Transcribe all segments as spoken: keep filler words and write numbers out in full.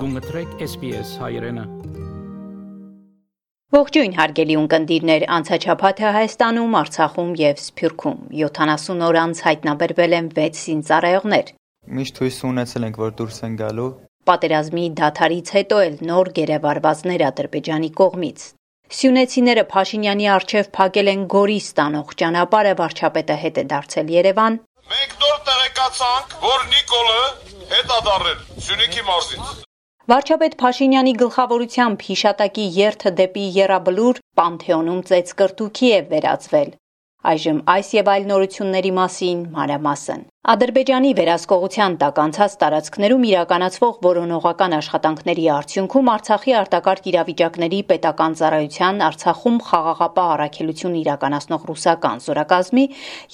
Գունգտրեք S B S հայրենը։ Ողջույն հարգելի ունկնդիրներ, անցաչափաթը Հայաստանում, Արցախում եւ Սփյուռքում յոթանասուն օր անց հայտնաբերվել են վեց զինծառայողներ։ Միշտ հույս ունեցել ենք, որ դուրս են գալու։ Պատերազմի դադարից հետո էլ նոր գերեվարվածներ Ադրբեջանի կողմից։ Սյունեցիները Փաշինյանի առջև փակել են Գորիս տանող ճանապարհը, վարչապետը հետ է դարձել Երևան։ Մենք նոր տեղեկացանք, որ Նիկոլը հետ է դառել Սյունիքի մարզից։ Վարչապետ Փաշինյանի գլխավորությամբ հիշատակի երթը դեպի Եռաբլուր Պանթեոնում ծեծկրտուքի է վերածվել։ Այժմ այս եւ այլ նորությունների մասին մանրամասն։ Ադրբեջանի վերահսկողության տակ անցած տարածքներում իրականացվող որոնողական աշխատանքների արդյունքում Արցախի արտակարգ իրավիճակների պետական ծառայության Արցախում խաղաղապահ առաքելություն իրականացնող ռուսական զորակազմի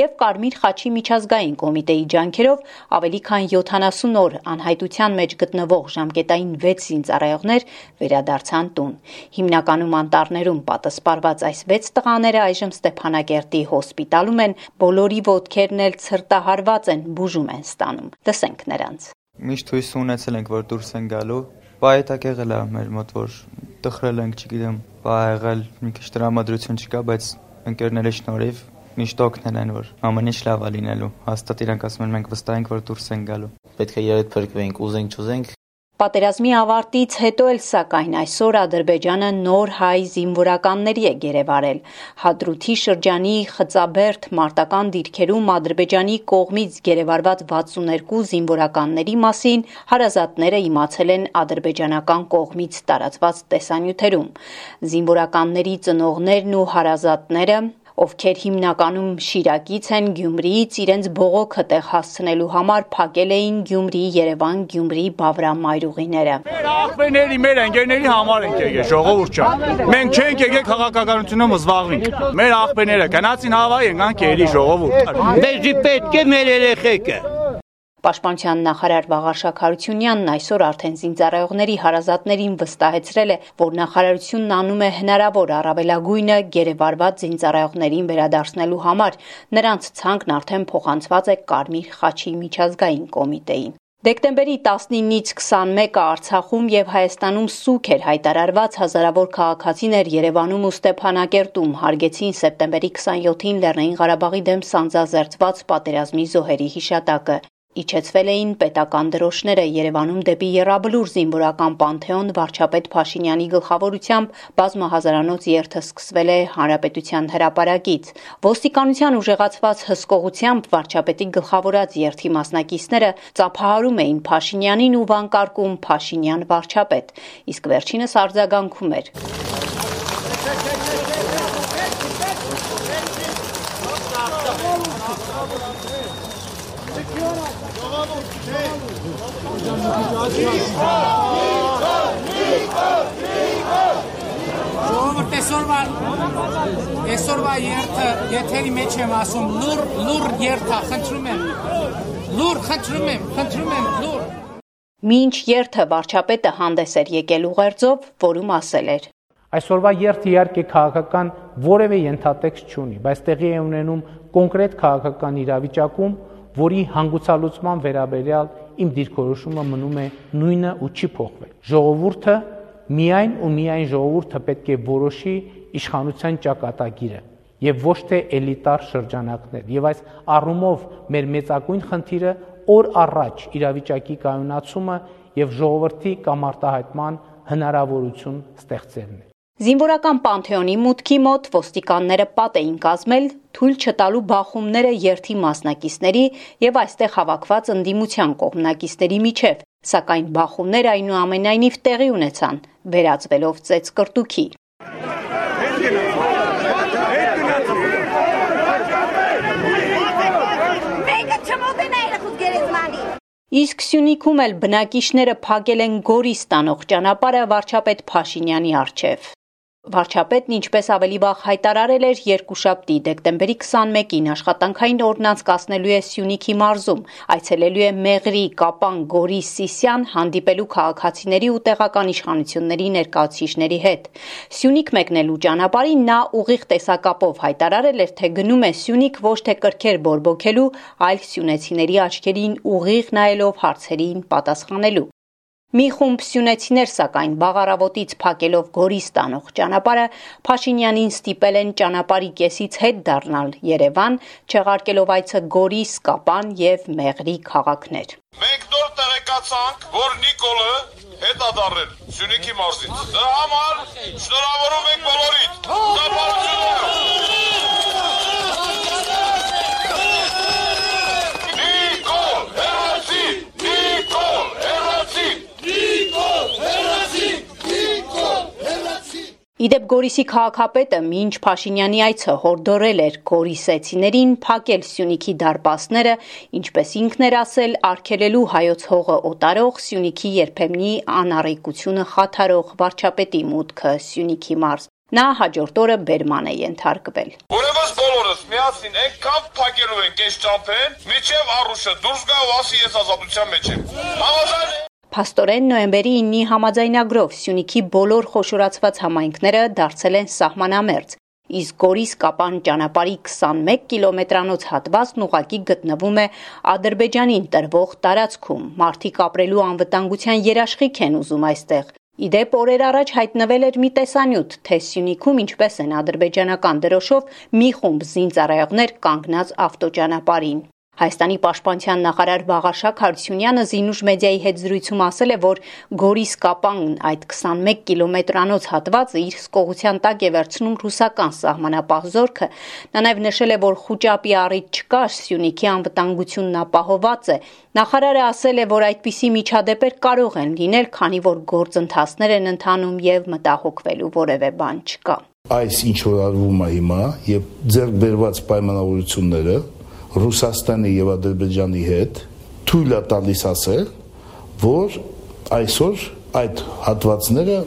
եւ Կարմիր խաչի միջազգային կոմիտեի ջանքերով ավելի քան յոթանասուն օր անհայտության մեջ գտնվող ժամկետային վեց զինծառայողներ վերադարձան տուն։ Հիմնականում անտառներում պատասպարված այս վեց տղաները այժմ Ստեփանակերտի հոսպիտալում են, բոլորի ոտքերն էլ ցրտահարված են, բուժում են ստանում։ Լսենք նրանց։ Միշտ հույս ունեցել ենք, որ դուրս են գալու։ Բայետակ եղել է մեր մոտ, որ տխրել ենք, չգիտեմ, բա եղել, մի քիչ տրամադրություն չկա, բայց ընկերների շնորհիվ միշտ օգնել են, որ ամեն ինչ լավ է լինելու։ Հաստատ իրանք ասում են, մենք վստահ ենք, որ դուրս են գալու։ Պետք է երեկ փրկվենք, ուզենք, չուզենք։ Պատերազմի ավարտից հետո էլ սակայն այսօր Ադրբեջանը նոր հայ զինվորականների է գերեվարել։ Հադրութի շրջանի Խծաբերդ մարտական դիրքերում Ադրբեջանի կողմից գերեվարված վաթսուններկու զինվորականների մասին հարազատները իմացել են ադրբեջանական կողմից տարածված տեսանյութերում։ Զինվորականների ծնողներն ու հարազատները, ովքեր հիմնականում Շիրակից են, Գյումրիից իրենց բողոքը տեղ հասցնելու համար փակել էին Գյումրի-Երևան-Գյումրի Բավրամ մայրուղիները։ Մեր աղբերների, մեր ընկերների համար ենք եկել, ժողովուրդ ջան։ Մենք չենք եկել քաղաքականությունով զբաղվենք։ Մեր աղբերները գնացին Հավայի, եկան Կերի ժողովուրդ։ Մեզի պետք է մեր երեխեքը։ Պաշտպանության նախարար Վաղարշակ Հարությունյանն այսօր արդեն զինծառայողների հարազատներին վստահեցրել է, որ նախարարությունն անում է հնարավոր առավելագույնը գերեվարված զինծառայողներին վերադարձնելու համար։ Նրանց ցանկն արդեն փոխանցված է Կարմիր խաչի միջազգային կոմիտեին։ Դեկտեմբերի տասնինից քսանմեկը Արցախում եւ Հայաստանում սուգ էր հայտարարված, հազարավոր քաղաքացիներ Երևանում ու Ստեփանակերտում հարգեցին սեպտեմբերի քսանյոթին Լեռնային Ղարաբաղի դեմ սանձազերծված պատերազմի զոհերի հիշատակը։ Իջեցվել էին պետական դրոշները Երևանում դեպի Եռաբլուր զինվորական Պանթեոն վարչապետ Փաշինյանի գլխավորությամբ բազմահազարանոց երթը սկսվել է Հանրապետության հրապարակից։ Ոստիկանության ուժեղացված հսկողությամբ վարչապետի գլխավորած երթի մասնակիցները ծափահարում էին Փաշինյանին ու վանկարկում Փաշինյան վարչապետ, իսկ վերջինս արձագանքում էր։ Ժողովուրդ այսօրվա այսօրվա երթը եթերի մեջ եմ ասում լուր լուր երթա խնդրում եմ լուր խնդրում եմ խնդրում եմ լուր Մինչ երթը վարչապետը հանդես էր եկել ուղերձով, որում ասել էր. Այսօրվա երթը իհարկե քաղաքական որևէ ենթատեքստ չունի, բայց տեղի է ունենում կոնկրետ քաղաքական իրավիճակում, որի հանգուցալուծման վերաբերյալ իմ դիրքորոշումը մնում է նույնը ու չի փոխվել։ Ժողովուրդը միայն ու միայն ժողովուրդը պետք է որոշի իշխանության ճակատագիրը եւ ոչ թե էլիտար շրջանակներ։ Եվ այս առումով մեր մեծագույն խնդիրը օր առաջ իրավիճակի կայունացումը եւ ժողովրդի կամարտահայտման հնարավորություն ստեղծելն է։ Զինվորական Պանթեոնի մուտքի մոտ ոստիկանները պատ էին կազմել թույլ չտալու բախումները երթի մասնակիցների եւ այստեղ հավաքված ընդդիմության կողմնակիցների միջև, սակայն բախումները այնուամենայնիվ տեղի ունեցան, վերածվելով ծեծկրտուքի։ Իսկ Սյունիքում էլ բնակիչները փակել են Գորիս տանող ճանապարհը վարչապետ Փաշինյանի առջև։ Վարչապետն ինչպես ավելի վաղ հայտարարել էր երկուշաբթի դեկտեմբերի քսանմեկին աշխատանքային օրն անցկացնելու է Սյունիքի մարզում, այցելելու է Մեղրի, Կապան, Գորի, Սիսիան, հանդիպելու քաղաքացիների ու տեղական իշխանությունների ներկայացուցիչների հետ։ Սյունիք մեկնելու ճանապարհին նա ուղիղ տեսակապով հայտարարել էր, թե գնում է Սյունիք ոչ թե կրքեր բորբոքելու, այլ սյունեցիների աչքերին ուղիղ նայելով հարցերին պատասխանելու։ Մի խումբ սյունեցիներ սակայն բաղարավոտից փակելով Գորիս տանող ճանապարհը Փաշինյանին ստիպել են ճանապարհի կեսից հետ դառնալ Երևան, չեղարկելով այցը Գորիս, Կապան եւ Մեղրի քաղաքներ։ Մենք նոր տեղեկացանք, որ Նիկոլը հետադառել Սյունիքի մարզից։ Դրա համար շնորհավորում ենք բոլորիդ։ Իդեպ Գորիսի քաղաքապետը մինչ Փաշինյանի այցը հորդորել էր գորիսեցիներին փակել Սյունիքի դարպասները, ինչպես ինքն էր ասել, արգելելու հայոց հողը օտարող Սյունիքի երբեմնի անառիկությունը խաթարող վարչապետի մուտքը Սյունիքի մարզ։ Նա հաջորդ օրը բերման է ենթարկվել։ Ուրեմն բոլորս միասին այնքան փակելու ենք այս ճամփեն, միջև Արուշը դուրս գա ու ասի ես ազատության մեջ եմ։ Համաձայն Փաստորեն նոյեմբերի իննի համաձայնագրով Սյունիքի բոլոր խոշորացված համայնքները դարձել են սահմանամերձ, իսկ Գորիս-Կապան ճանապարհի քսանմեկ կիլոմետրանոց հատվածն ուղղակի գտնվում է Ադրբեջանին տրվող տարածքում։ Մարդիկ ապրելու անվտանգության երաշխիք են ուզում այստեղ։ Իդեպ օրեր առաջ հայտնվել էր մի տեսանյութ, թե Սյունիքում ինչպես են ադրբեջանական դրոշով մի խումբ զինծառայողներ կանգնած ավտոճանապարհին։ Հայաստանի պաշտպանության նախարար Վաղարշակ Հարությունյանը Զինուշ մեդիայի հետ զրույցում ասել է, որ Գորիս-Կապան այդ քսանմեկ կիլոմետրանոց հատվածը իր սկողության տակ է վերցնում ռուսական սահմանապահ զորքը։ Նա նաև նշել է, որ խուճապի առիթ չկա, Սյունիքի անվտանգությունն ապահոված է։ Նախարարը ասել է, որ այդպիսի միջադեպեր կարող են լինել, քանի որ գործընթացներ են ընթանում եւ մտահոգվելու որևէ բան չկա։ Այս ինչ որ արվում է հիմա եւ ձեռք բերված պայմանավորությունները Ռուսաստանի եւ Ադրբեջանի հետ թույլ է տալիս ասել, որ այսօր այդ հատվածները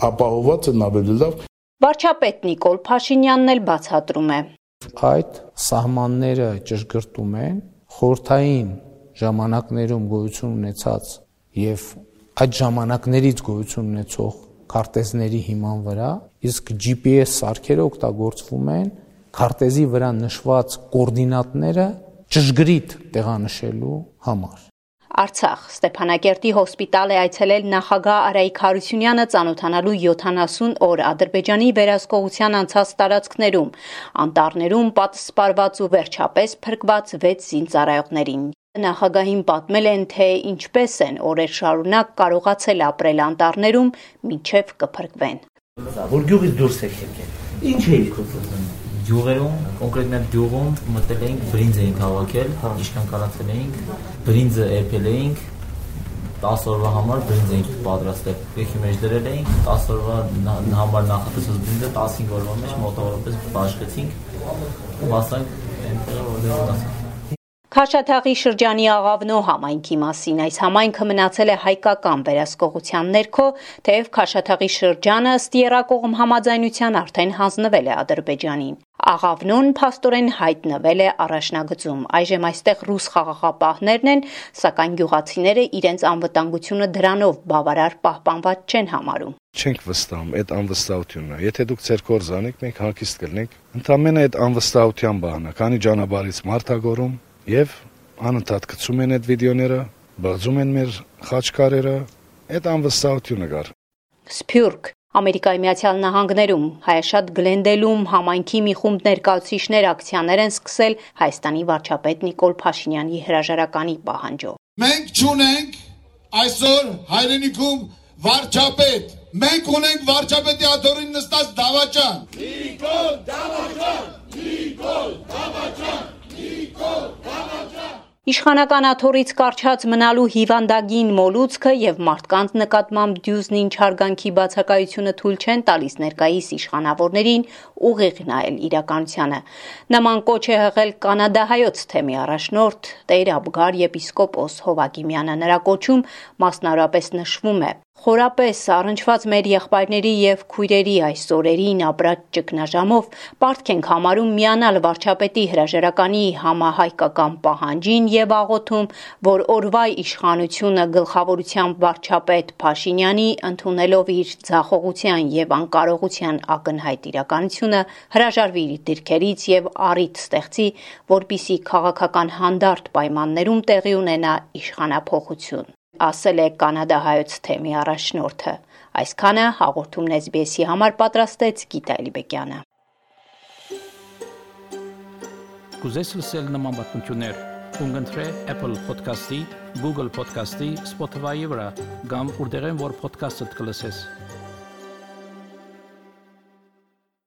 ապահոված են ավելի լավ։ Վարչապետ Նիկոլ Փաշինյանն էլ բացատրում է. Այդ սահմանները ճշգրտում են խորհրդային ժամանակներում գոյություն ունեցած եւ այդ ժամանակներից գոյություն ունեցող քարտեզների հիման վրա, իսկ G P S սարքերը օգտագործվում են քարտեզի վրա նշված կոորդինատները ճշգրիտ տեղանշելու համար։ Արցախ Ստեփանակերտի հոսպիտալ է այցելել նախագահ Արայիկ Հարությունյանը ծանոթանալու յոթանասուն օր Ադրբեջանի վերահսկողության անցած տարածքներում, անտառներում պատսպարված ու վերջապես փրկված վեց զինծառայողներին։ Նախագահին պատմել են, թե ինչպես են օրեր շարունակ կարողացել ապրել անտառներում, մինչև կփրկվեն։ Որ գյուղից դուրս եք եկել։ Ինչ էիք ուզում։ Գյուղերում, կոնկրետ մեր գյուղում մտել էինք, բրինձ էինք հավաքել, ինչքան կարողացել էինք, բրինձը էփել էինք, տասը օրվա համար բրինձ էինք պատրաստել։ Եկի մեջ դրել էինք, տասը օրվա համար նախատեսած բրինձը տասնհինգ օրվա մեջ մոտավորապես բաշխեցինք ու հասանք այնտեղ որտեղ ունեցանք։ Քաշաթաղի շրջանի Աղավնո համայնքի մասին այս համայնքը մնացել է հայկական վերահսկողության ներքո, թեև Քաշաթաղի շրջանը ըստ եռակողմ համաձայնության արդեն հանձնվել է Ադրբեջանին։ Աղավնոն փաստորեն հայտնվել է առաջնագծում։ Այժմ այստեղ ռուս խաղաղապահներն են, սակայն գյուղացիները իրենց անվտանգությունը դրանով բավարար պահպանված չեն համարում։ Չենք վստահում այդ անվստահությունն է։ Եթե դուք ձեր գործ անեք, մենք հանգիստ կլինենք։ Ընդամենը այդ անվստահության բանն է, քանի ճանապարհից մարդագորում եւ անընդհատ գցում են այդ վիդեոները, բացում են մեր խաչքարերը, այդ անվստահությունը կար։ Սփյուռք Ամերիկայի Միացյալ Նահանգներում Հայաշատ Գլենդելում համայնքի մի խումբ ներկայացուցիչներ ակցիաներ են սկսել Հայաստանի վարչապետ Նիկոլ Փաշինյանի հրաժարականի պահանջով։ Մենք չունենք այսօր հայրենիքում վարչապետ, մենք ունենք վարչապետի աթոռին նստած դավաճան։ Նիկոլ Դավաճան, Նիկոլ Դավաճան, Նիկոլ Դավաճան։ Իշխանական աթոռից կարճած մնալու հիվանդագին մոլուցքը եւ մարդկանց նկատմամբ դյուզնին չարգանքի բացակայությունը թույլ չեն տալիս ներկայիս իշխանավորներին ուղիղ նայել իրականությանը։ Նման կոչ է հղել կանադահայոց թեմի առաջնորդ Տեր Աբգար եպիսկոպոս Հովակիմյանը։ Նրա կոչում մասնավորապես նշվում է. Խորապես առնչված մեր եղբայրների եւ քույրերի այս օրերին ապրած ճգնաժամով պարտք ենք համարում միանալ վարչապետի հրաժարականի համահայկական պահանջին եւ աղոթում, որ օրվա իշխանությունը գլխավորությամբ վարչապետ Փաշինյանի ընդունելով իր ձախողության եւ անկարողության ակնհայտ իրականությունը հրաժարվի իր դիրքերից եւ առիթ ստեղծի, որպիսի քաղաքական հանդարտ պայմաններում տեղի ունենա իշխանափոխություն։ ասել է կանադահայոց թեմի առաջնորդը։ Այսքանը հաղորդումն էս բի էս-ի համար պատրաստեց Գիտա Էլիբեկյանը։ Կուզես լսել նման բանություններ, կընտրե Apple Podcast-ի, Google Podcast-ի, Spotify-ի վրա, կամ որտեղեն որ podcast-ը կլսես։